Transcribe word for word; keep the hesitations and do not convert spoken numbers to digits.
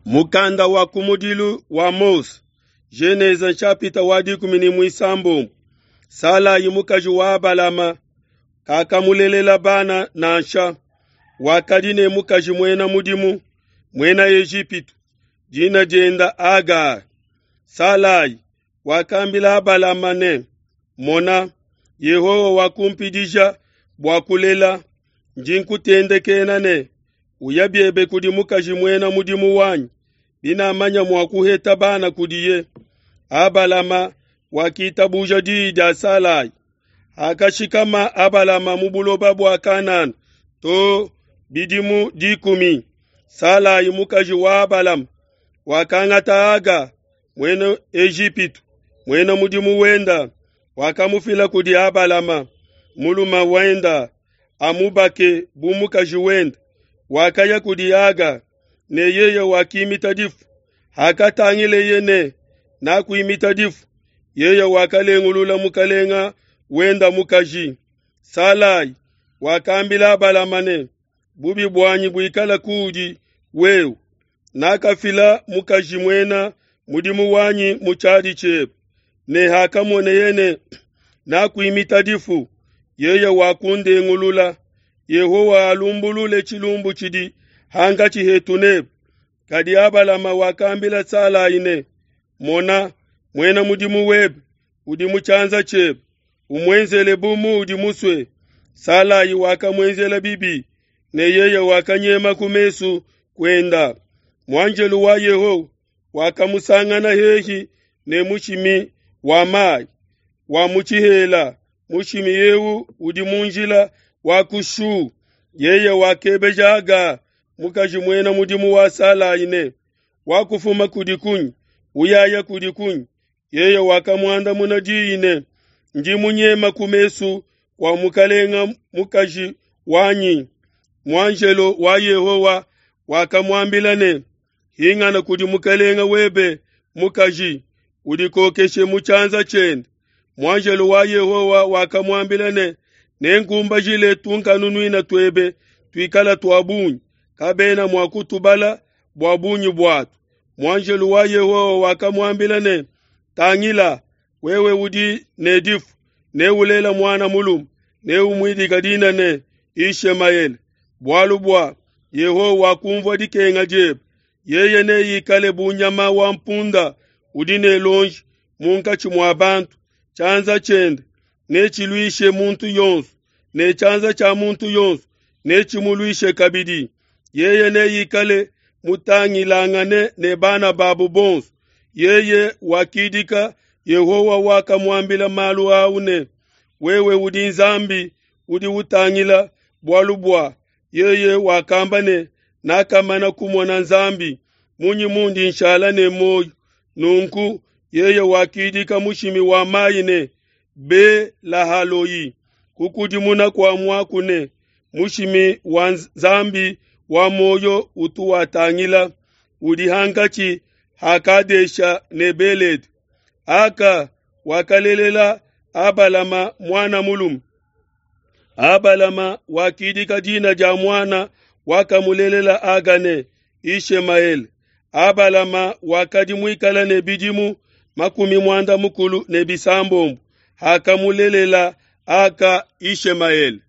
Mukanda wa kumudilu wa Mose, Genese nshapita wa dikumi ne muisambombo. Salai mukaji wa Abalama kakamulelela bana nansha. Wakadi ne mukaji muena mudimu muena Ejipitu, dina dienda Agar. Salai wakambila Abalama ne, Mona, Yehowa wakumpidija bua kulela, ndi nkutendekena ne, uya biebe kudi mukaji muena mudimu wanyi, binamanya mua kuheta bana kudiye. Abalama wakitabuja diyi dia Salai. Hakashikama Abalama mu buloba bua Kanana to bidimu dikumi, Salai mukaji wa Abalama wakangata Aga muena Ejipitu muena mudimu wenda, wakamufila kudi Abalama mulume wenda amubake bu mukaji wende. Wakaya kudi Aga ne yeye wakimita difu. Hakatangileye ne nakuimita difu, yeye wakalengulula mukalenga wenda mukaji. Salai wakambila Abalama ne, bubi buanyi buikala kuudi wewe, nakafila mukaji muena mudimu wanyi mu tshiadi tshiebe, ne hakamoneye ne nakuimita difu, yeye wakundengulula. Yehowa alumbulule tshilumbu tshidi hankatshi hetu nebe. Kadi Abalama wakambila Salai ne, Mona, muena mudimu webe udi mu tshianza tshiebe, umuenzele bu muudi musue. Salai wakamuenzela bibi, ne yeye wakanyema ku mesu kuenda. Muanjelo wa Yehowa wakamusangana hehi ne mushimi wa mai wa mu tshihela. Mushimi eu udi mu njila wa ku Shu. Yeye wakebeja Aga, mukaji muena mudimu wa Salai ne, wakufuma kudi kunyi, uyaya kudi kunyi? Yeye wakamuandamuna diyi ne, ndi munyema ku mesu kua mukalenga mukaji wanyi. Muanjelo wa Yehowa wakamuambila ne, hingana kudi mukalenga webe mukaji, udikokeshe mu tshianza tshiende. Muanjelo wa Yehowa wakamuambila ne, nenkumbajile tunkanunuina tuebe tuikala tua bungi, kabena mua kutubala bua bungi buatu. Muanjelo wa Yehowa wakamuambila ne, tangila, wewe udi ne difu, neulela muana mulume, neumuidika dina ne Ishemaele, bualu bua Yehowa wakumvua dikenga diebe. Yeye neikale bu nyama wa mpunda udi ne lonji munkatshi mua bantu, tshianza tshiende netshiluishe muntu yonso, ne tshianza tshia muntu yonso netshimuluishe kabidi. Yeye neikale mutangilangane ne bana babu bonso. Yeye wakidika Yehowa wakamuambila malu au ne, wewe udi Nzambi udi utangila, bualu bua yeye wakamba ne, nakamana kumona Nzambi, munyi mundi nshala ne muoyo? Nunku yeye wakidika mushimi wa mai ne Be-lahaloi, kukudimuna kua muaku ne, mushimi wa Nzambi wa muoyo utu watangila, udi hankatshi ha Kadesha ne Belede. Aka wakalelela Abalama muana mulume. Abalama wakidika dina dia muana wakamulelela Aga ne Ishemaele. Abalama wakadi muikala ne bidimu makumi muanda mukulu ne bisambombo hakamulelela Aka Ishemaele.